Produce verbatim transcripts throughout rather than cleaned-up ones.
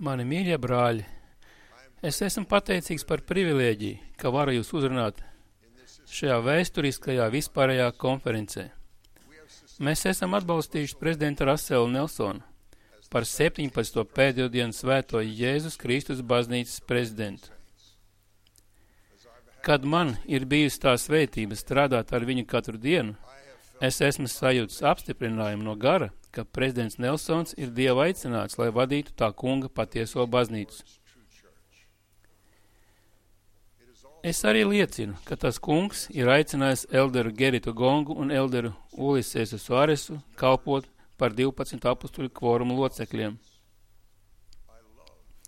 Mani mīļie brāļi, es esmu pateicīgs par privilēģiju, ka varu jūs uzrunāt šajā vēsturiskajā vispārējā konferencē. Mēs esam atbalstījuši prezidenta Raselu Nelsonu par septiņpadsmito pēdējo dienu svēto Jēzus Kristus baznīcas prezidentu. Kad man ir bijusi tā svētība strādāt ar viņu katru dienu, es esmu sajūtis apstiprinājumu no gara, ka prezidents Nelsons ir Dieva aicināts, lai vadītu tā kunga patieso baznīcu. Es arī liecinu, ka tas kungs ir aicinājis elderu Geritu Gongu un elderu Ulisesu Suaresu kalpot par divpadsmit apustuļu kvorumu locekļiem.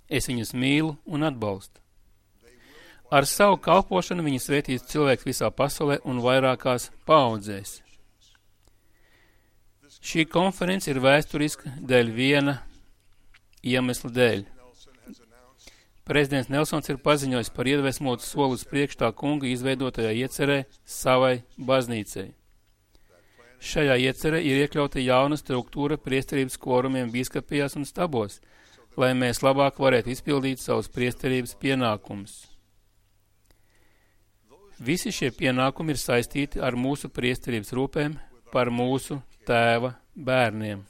Es viņus mīlu un atbalstu. Ar savu kalpošanu viņi svētīs cilvēks visā pasaulē un vairākās paaudzēs. Šī konference ir vēsturiska dēļ viena iemesla dēļ. Prezidents Nelsons ir paziņojis par iedvesmotu soli uz priekšu tā kunga izveidotajā iecerē savai baznīcai. Šajā iecerē ir iekļauta jauna struktūra priesterības kvorumiem bīskapijās un stabos, lai mēs labāk varētu izpildīt savus priesterības pienākumus. Visi šie pienākumi ir saistīti ar mūsu priesterības rūpēm par mūsu Tēva bērniem.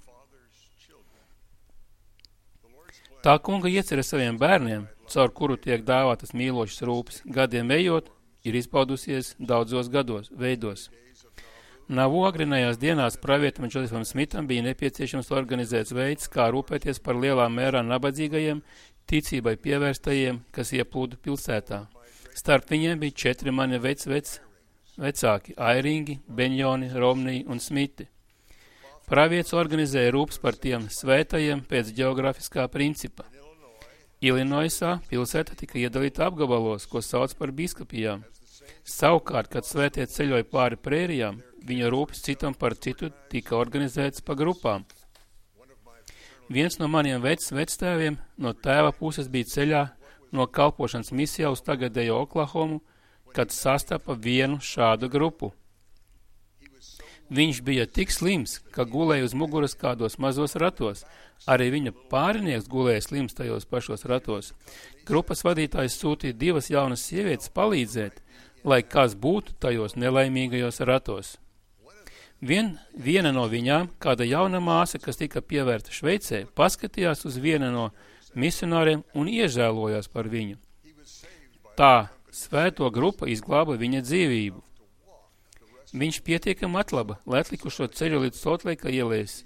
Tā kunga iecerē saviem bērniem, caur kuru tiek dāvātas mīlošas rūpes, gadiem ejot, ir izpaudusies daudzos gados, veidos. Nav agrinējās dienās pravietam Džozefam Smitam bija nepieciešams organizēts veids, kā rūpēties par lielā mērā nabadzīgajiem, ticībai pievērstajiem, kas ieplūda pilsētā. Starp viņiem bija četri mani vec, vec, vecāki – Airingi, Beņjoni, Romnī un Smiti. Pravietis organizēja rūpes par tiem svētajiem pēc geogrāfiskā principa. Ilinoisā pilsēta tika iedalīta apgabalos, ko sauc par bīskapijām. Savukārt, kad svētie ceļoja pāri prērijām, viņa rūpes citam par citu tika organizētas pa grupām. Viens no maniem vec, vectēviem no tēva puses bija ceļā no kalpošanas misijā uz tagadējo Oklahomu, kad sastapa vienu šādu grupu. Viņš bija tik slims, ka gulēja uz muguras kādos mazos ratos. Arī viņa pārinieks gulēja slims tajos pašos ratos. Grupas vadītājs sūtīja divas jaunas sievietes palīdzēt, lai kas būtu tajos nelaimīgajos ratos. Vien, viena no viņām, kāda jauna māsa, kas tika pievērta Šveicē, paskatījās uz vienu no misionāriem un iežēlojās par viņu. Tā svēto grupa izglāba viņa dzīvību. Viņš pietiekami atlaba, lai atlikušo ceļu līdz Soltleika ielēs.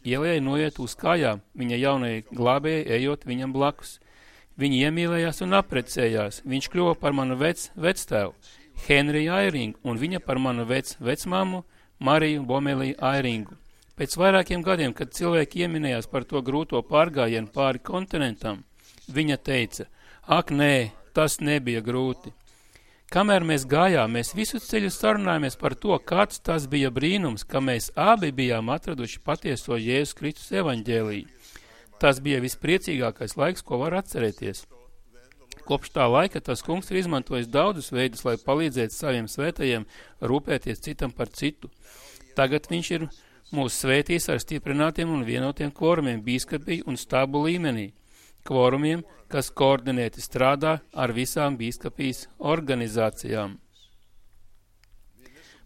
Ielējai noiet uz kājām, viņa jaunajai glābējai ejot viņam blakus. Viņi iemīlējās un apprecējās. Viņš kļuva par manu vec, vectēvu, Henriju Airingu, un viņa par manu vec, vecmāmu, Mariju Bomeliju Airingu. Pēc vairākiem gadiem, kad cilvēki ieminējās par to grūto pārgājienu pāri kontinentam, viņa teica, ak nē, tas nebija grūti. Kamēr mēs gājām, mēs visu ceļu sarunājāmies par to, kāds tas bija brīnums, ka mēs abi bijām atraduši patieso Jēzus Kristus evaņģēliju. Tas bija vispriecīgākais laiks, ko var atcerēties. Kopš tā laika tas kungs ir izmantojis daudzus veidus, lai palīdzētu saviem svētajiem rūpēties citam par citu. Tagad viņš ir mūs svētījis ar stiprinātiem un vienotiem kvorumiem bīskapiju un stabu līmenī. Kvorumiem, kas koordinēti strādā ar visām bīskapijas organizācijām.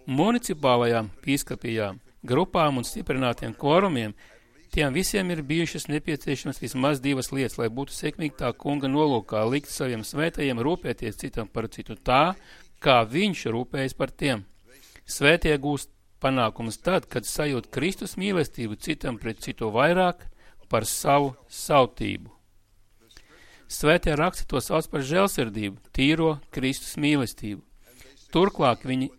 Municipālajām bīskapijām, grupām un stiprinātiem kvorumiem, tiem visiem ir bijušas nepieciešamas vismaz divas lietas, lai būtu sekmīgi tā kunga nolūkā likt saviem svētajiem rūpēties citam par citu tā, kā viņš rūpējas par tiem. Svētie gūst panākumus tad, kad sajūt Kristus mīlestību citam pret citu vairāk par savu sautību. Svētie raksti to sauc par žēlsirdību, tīro Kristus mīlestību. Turklāk viņi,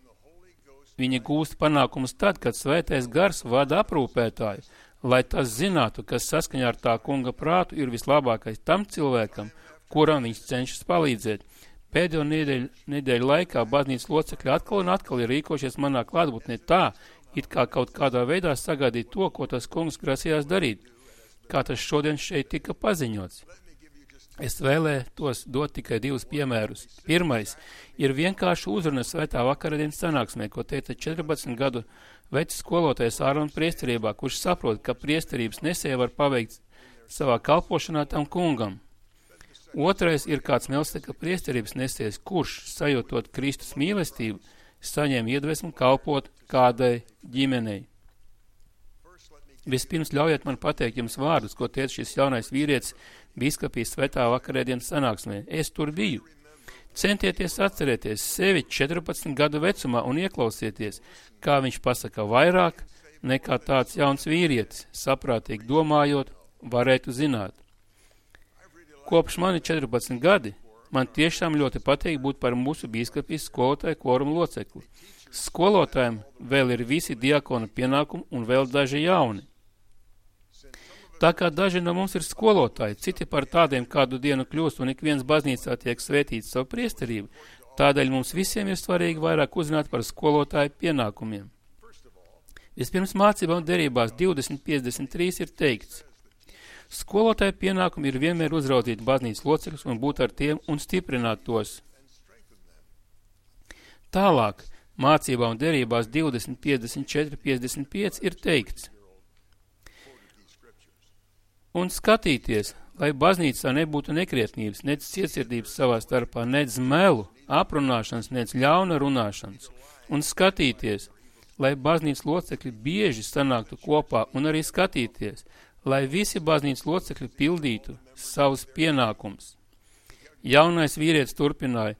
viņi gūst panākumus tad, kad svētais gars vada aprūpētāju, lai tas zinātu, kas saskaņā ar tā kunga prātu ir vislabākais tam cilvēkam, kuram viņš cenšas palīdzēt. Pēdējo nedēļu, nedēļu laikā baznīcas locekļi atkal un atkal ir rīkošies manā klātbūtnē tā, it kā kaut kādā veidā sagaidīt to, ko tas kungs grasījās darīt, kā tas šodien šeit tika paziņots. Es vēlētos dot tikai divus piemērus. Pirmais ir vienkārši uzruna svētā vakaradienas sanāksmē, ko teica četrpadsmit gadu vecs skolotājs Ārona priesterībā, kurš saprot, ka priesterības nesēja var paveikt savā kalpošanā tam kungam. Otrais ir kāds Melsteka priesterības nesies, kurš, sajūtot Kristus mīlestību, saņem iedvesmu kalpot kādai ģimenei. Vispirms ļaujiet man pateikt jums vārdus, ko teica šis jaunais vīrietis biskupijas svētā vakarēdienas sanāksmē. Es tur biju. Centieties atcerēties sevi četrpadsmit gadu vecumā un ieklausieties, kā viņš pasaka vairāk nekā tāds jauns vīrietis, saprātīgi domājot, varētu zināt. Kopš mani četrpadsmit gadi, man tiešām ļoti patīk būt par mūsu biskupijas skolotāju kvorumu locekli. Skolotājiem vēl ir visi diakona pienākumi un vēl daži jauni. Tā kā daži no mums ir skolotāji, citi par tādiem kādu dienu kļūst un ik viens baznīcā tiek svētīts savu priesterību, tādēļ mums visiem ir svarīgi vairāk uzzināt par skolotāju pienākumiem. Vispirms mācībām derībās divdesmit piecdesmit trīs ir teikts: skolotāju pienākumi ir vienmēr uzraudzīt baznīcas locekļus un būt ar tiem un stiprināt tos. Tālāk, mācībām derībās divdesmit piecdesmit četri piecdesmit pieci ir teikts: un skatīties, lai baznīcā nebūtu nekrietnības, nec cietsirdības savā starpā, nec melu, aprunāšanas, nec ļauna runāšanas. Un skatīties, lai baznīcas locekļi bieži sanāktu kopā, un arī skatīties, lai visi baznīcas locekļi pildītu savus pienākumus. Jaunais vīrietis turpināja: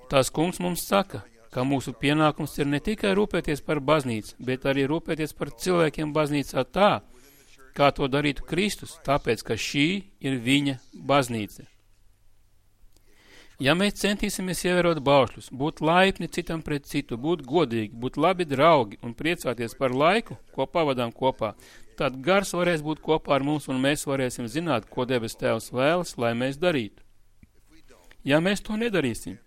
tās kungs mums saka, ka mūsu pienākums ir ne tikai rūpēties par baznīcu, bet arī rūpēties par cilvēkiem baznīcā tā, kā to darītu Kristus, tāpēc, ka šī ir viņa baznīca. Ja mēs centīsimies ievērot baušļus, būt laipni citam pret citu, būt godīgi, būt labi draugi un priecāties par laiku, ko pavadām kopā, tad gars varēs būt kopā ar mums un mēs varēsim zināt, ko debes Tēvs vēlas, lai mēs darītu. Ja mēs to nedarīsim,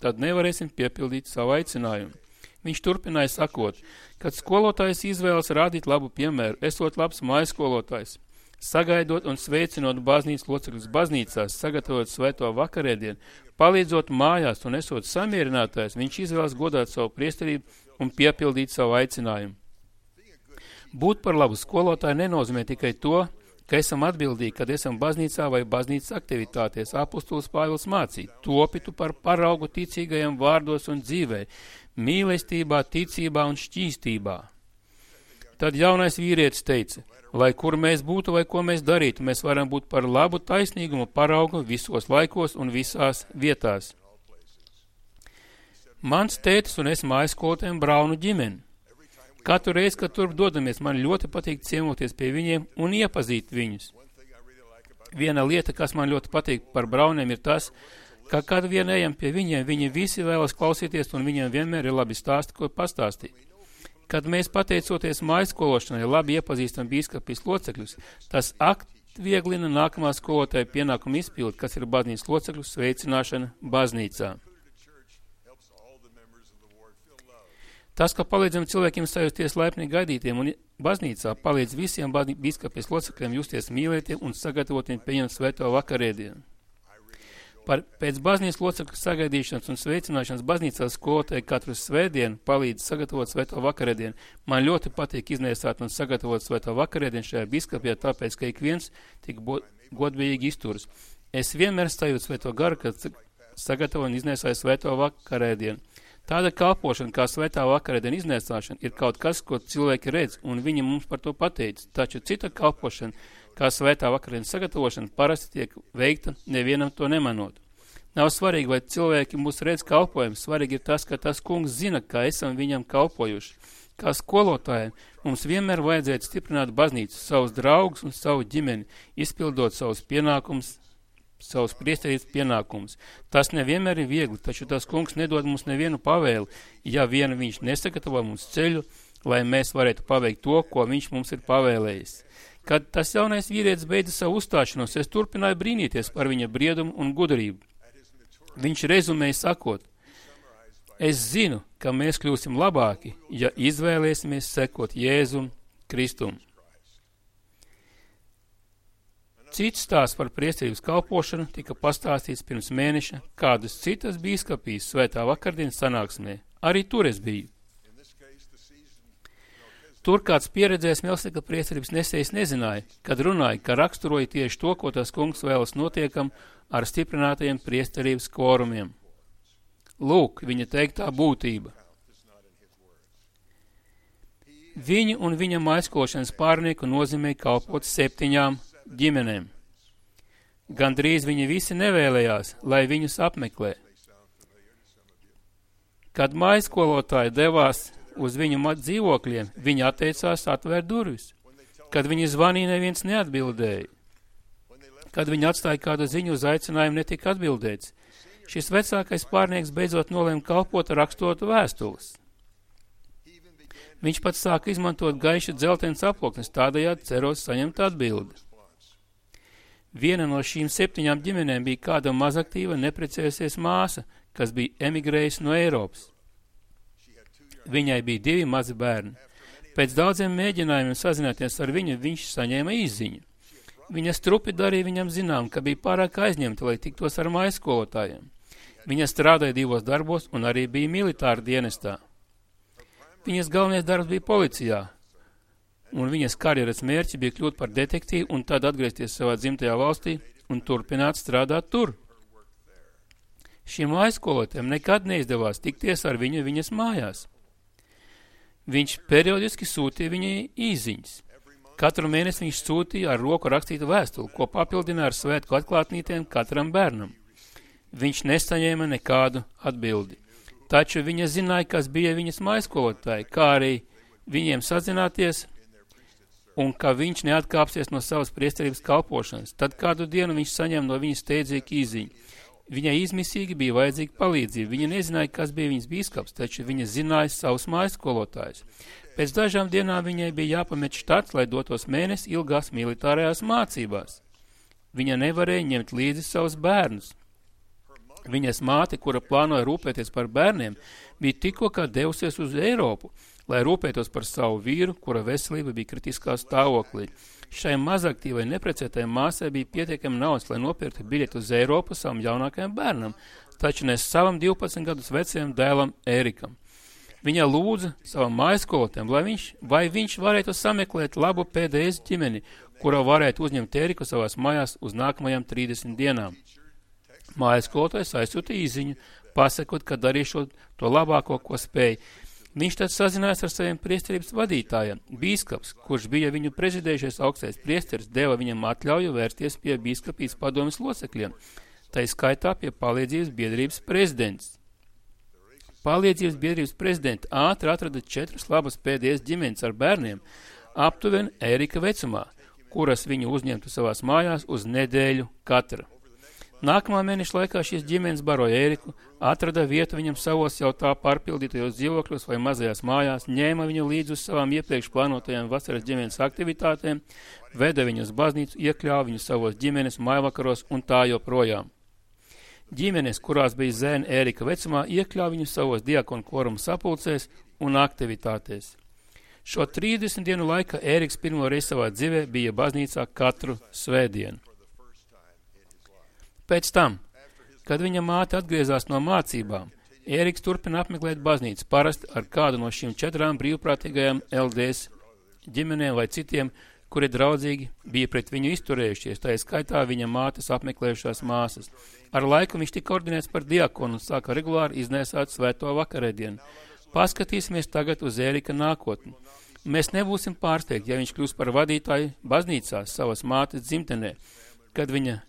tad nevarēsim piepildīt savu aicinājumu. Viņš turpināja sakot, kad skolotājs izvēlas rādīt labu piemēru, esot labs mājaskolotājs, sagaidot un sveicinot baznīcas locekļus baznīcās, sagatavot svēto vakarēdienu, palīdzot mājās un esot samierinātājs, viņš izvēlas godāt savu priesterību un piepildīt savu aicinājumu. Būt par labu skolotāju nenozīmē tikai to, ka esam atbildīgi, kad esam baznīcā vai baznīcas aktivitātēs. Apostols Pāvils mācīja: topitu par paraugu ticīgajiem vārdos un dzīvē, mīlestībā, ticībā un šķīstībā. Tad jaunais vīrietis teica: lai kur mēs būtu vai ko mēs darītu, mēs varam būt par labu taisnīgumu paraugu visos laikos un visās vietās. Mans tētis un es mājaskolotājiem Braunu ģimeni. Katru reizi, kad turp dodamies, man ļoti patīk ciemoties pie viņiem un iepazīt viņus. Viena lieta, kas man ļoti patīk par Brauniem, ir tas, ka kad vien ejam pie viņiem, viņi visi vēlas klausīties un viņiem vienmēr ir labi stāsti, ko pastāstīt. Kad mēs pateicoties mājskološanai labi iepazīstam bīskapijas locekļus, tas atvieglina nākamā skolotāja pienākumu izpildi, kas ir baznīcas locekļu sveicināšana baznīcā. Tas, ka palīdzam cilvēkiem sajusties laipni gaidītiem un baznīcā, palīdz visiem bīskapijas locekļiem justies mīlētiem un sagatavotiem pieņemt svēto vakarēdienu. Par pēc baznīcas locekļu sagaidīšanas un sveicināšanas baznīcā skolotāji katru svētdienu palīdz sagatavot svēto vakarēdienu. Man ļoti patīk iznēsāt un sagatavot svēto vakarēdienu šajā bīskapijā, tāpēc, ka ik viens tik godbijīgi izturas. Es vienmēr sajūtu svēto garu, kad sagatavoju un iznēsāju svēto vakarēdienu. Tāda kalpošana, kā svētā vakarēdiena iznēsāšana, ir kaut kas, ko cilvēki redz, un viņi mums par to pateica. Taču cita kalpošana, kā svētā vakarēdienas sagatavošana, parasti tiek veikta nevienam to nemanot. Nav svarīgi, vai cilvēki mūs redz kalpojumu, svarīgi ir tas, ka tas kungs zina, kā esam viņam kalpojuši. Kā skolotājiem mums vienmēr vajadzētu stiprināt baznīcu, savus draugus un savu ģimeni, izpildot savus pienākumus, savus priesterības pienākumus. Tas nevienmēr ir viegli, taču tas kungs nedod mums nevienu pavēli, ja vien viņš nesagatavo mums ceļu, lai mēs varētu paveikt to, ko viņš mums ir pavēlējis. Kad tas jaunais vīrietis beidza savu uzstāšanos, es turpināju brīnīties par viņa briedumu un gudrību. Viņš rezumēja sakot: es zinu, ka mēs kļūsim labāki, ja izvēlēsimies sekot Jēzum Kristum. Cits stāsts par priesterības kalpošanu tika pastāstīts pirms mēneša kādas citas bīskapijas svētā vakardienas sanāksmē. Arī tur es biju. Tur kāds pieredzējis Melkisedeka priesterības nesējs nezināja, kad runāja, ka raksturoja tieši to, ko tas kungs vēlas notiekam ar stiprinātajiem priesterības kvorumiem. Lūk, viņa teiktā būtība. Viņu un viņa maiskošanas pārnieku nozīmē kalpot septiņām ģimenēm. Gandrīz viņi visi nevēlējās, lai viņus apmeklē. Kad maiskolotāji devās uz viņu dzīvokļiem, viņi atteicās atvērt durvis. Kad viņi zvanīja, neviens neatbildēja. Kad viņi atstāja kādu ziņu uz aicinājumu, netika atbildēts. Šis vecākais pārnieks beidzot nolēma kalpot rakstot vēstules. Viņš pats sāka izmantot gaišu dzeltenes aploknes, tādējādi cerot saņemt atbildi. Viena no šīm septiņām ģimenēm bija kāda mazaktīva neprecējusies māsa, kas bija emigrējusi no Eiropas. Viņai bija divi mazi bērni. Pēc daudziem mēģinājumiem sazināties ar viņu, viņš saņēma izziņu. Viņa strupi darīja viņam zinām, ka bija pārāk aizņemta, lai tiktos ar maiskolotājiem. Viņa strādāja divos darbos un arī bija militāra dienestā. Viņas galvenais darbs bija policijā, un viņas karjeras mērķi bija kļūt par detektīvu un tad atgriezties savā dzimtajā valstī un turpināt strādāt tur. Šiem aizkolotiem nekad neizdevās tikties ar viņu viņas mājās. Viņš periodiski sūtīja viņai īziņas. Katru mēnesi viņš sūtīja ar roku rakstītu vēstuli, ko papildināja ar svētku atklātnītēm katram bērnam. Viņš nesaņēma nekādu atbildi. Taču viņa zināja, kas bija viņas maiskolotāji, kā arī viņiem sazināties, un ka viņš neatkāpsies no savas priesterības kalpošanas. Tad kādu dienu viņš saņēma no viņas steidzīgu īziņu. Viņai izmisīgi bija vajadzīga palīdzība. Viņa nezināja, kas bija viņas bīskaps, taču viņa zināja savus maiskolotājus. Pēc dažām dienām viņai bija jāpamet štats, lai dotos mēnesi ilgās militārajās mācībās. Viņa nevarēja ņemt līdzi savus bērnus. Viņas māte, kura plānoja rūpēties par bērniem, bija tikko kā devusies uz Eiropu, lai rūpētos par savu vīru, kura veselība bija kritiskā stāvoklī. Šai mazaktīvai neprecētai māsai bija pietiekami naudas, lai nopirktu biļeti uz Eiropu savam jaunākajam bērnam, taču ne savam divpadsmit gadus vecajam dēlam Ērikam. Viņa lūdza savam maiskolotēm, lai viņš, vai viņš varētu sameklēt labu P D S ģimeni, kura varētu uzņemt Ēriku savās mājās uz nākamajām trīsdesmit dienām. Mājaskolotājs aizsūtīja īziņu, pasakot, ka darīšot to labāko, ko spēja. Viņš tad sazinājās ar saviem priesterības vadītājiem. Bīskaps, kurš bija viņu prezidējušies augstais priesteris, deva viņam atļauju vērsties pie bīskapības padomes locekļiem, tai skaitā pie palīdzības biedrības prezidents. Palīdzības biedrības prezidenti ātri atrada četras labas P D S ģimenes ar bērniem, aptuveni Ērika vecumā, kuras viņu uzņemtu savās mājās uz nedēļu katra. Nākamā mēneša laikā šīs ģimenes baroja Ēriku, atrada vietu viņam savos jau tā pārpildītajos dzīvokļos vai mazajās mājās, ņēma viņu līdz uz savām iepriekš plānotajām vasaras ģimenes aktivitātēm, veda viņu uz baznīcu, iekļāva viņu savos ģimenes mājvakaros un tā joprojām. Ģimenes, kurās bija zēni Ērika vecumā, iekļāva viņu savos diakonu kvoruma sapulcēs un aktivitātēs. Šo trīsdesmit dienu laikā Ēriks pirmo reizi savā dzīvē bija baznīcā katru svētdienu. Pēc tam, kad viņa māte atgriezās no mācībām, Ēriks turpina apmeklēt baznīcu, parasti ar kādu no šīm četrām brīvprātīgajām L D S ģimenēm vai citiem, kuri draudzīgi bija pret viņu izturējušies, tā skaitā viņa mātes apmeklējušās māsas. Ar laiku viņš tika ordinēts par diakonu un sāka regulāri iznēsāt svēto vakarēdienu. Paskatīsimies tagad uz Ērika nākotni. Mēs nebūsim pārsteigti, ja viņš kļūs par vadītāju baznīcās savas mātes dzimtenē, kad viņa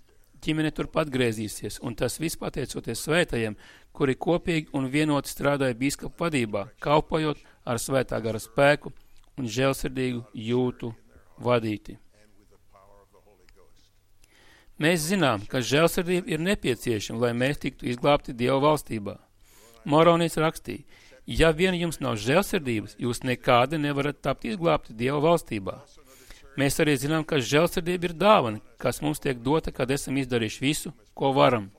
ģimene turpat griezīsies, un tas viss pateicoties svētajiem, kuri kopīgi un vienoti strādāja bīskapu vadībā, kalpojot ar svētā gara spēku un žēlsirdīgu jūtu vadīti. Mēs zinām, ka žēlsirdība ir nepieciešama, lai mēs tiktu izglābti Dieva valstībā. Moronīts rakstīja, ja vien jums nav žēlsirdības, jūs nekādi nevarat tapt izglābti Dieva valstībā. Mēs arī zinām, ka žēlsirdība ir dāvana, kas mums tiek dota, kad esam izdarījuši visu, ko varam.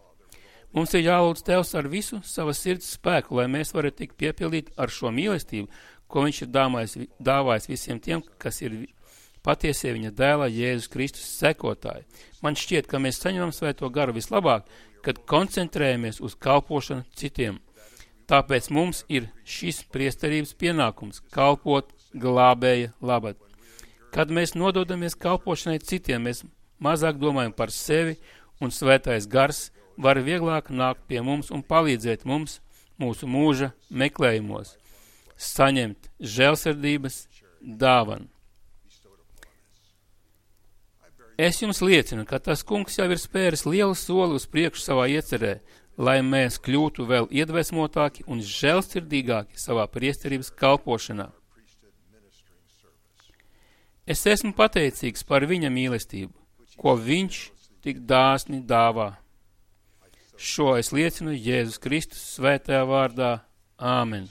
Mums ir jālūdz Tevs ar visu savas sirds spēku, lai mēs varētu tikt piepildīt ar šo mīlestību, ko viņš ir dāvājis, dāvājis visiem tiem, kas ir patiesie viņa dēlā Jēzus Kristus sekotāji. Man šķiet, ka mēs saņemam svēto garu vislabāk, kad koncentrējamies uz kalpošanu citiem. Tāpēc mums ir šis priesterības pienākums kalpot glābēja labad. Kad mēs nododamies kalpošanai citiem, mēs mazāk domājam par sevi, un svētais gars var vieglāk nākt pie mums un palīdzēt mums mūsu mūža meklējumos, saņemt žēlsirdības dāvanu. Es jums liecinu, ka tas kungs jau ir spēris lielu soli uz priekšu savā iecerē, lai mēs kļūtu vēl iedvesmotāki un žēlsirdīgāki savā priesterības kalpošanā. Es esmu pateicīgs par viņa mīlestību, ko viņš tik dāsni dāvā. Šo es liecinu Jēzus Kristus svētajā vārdā. Āmen.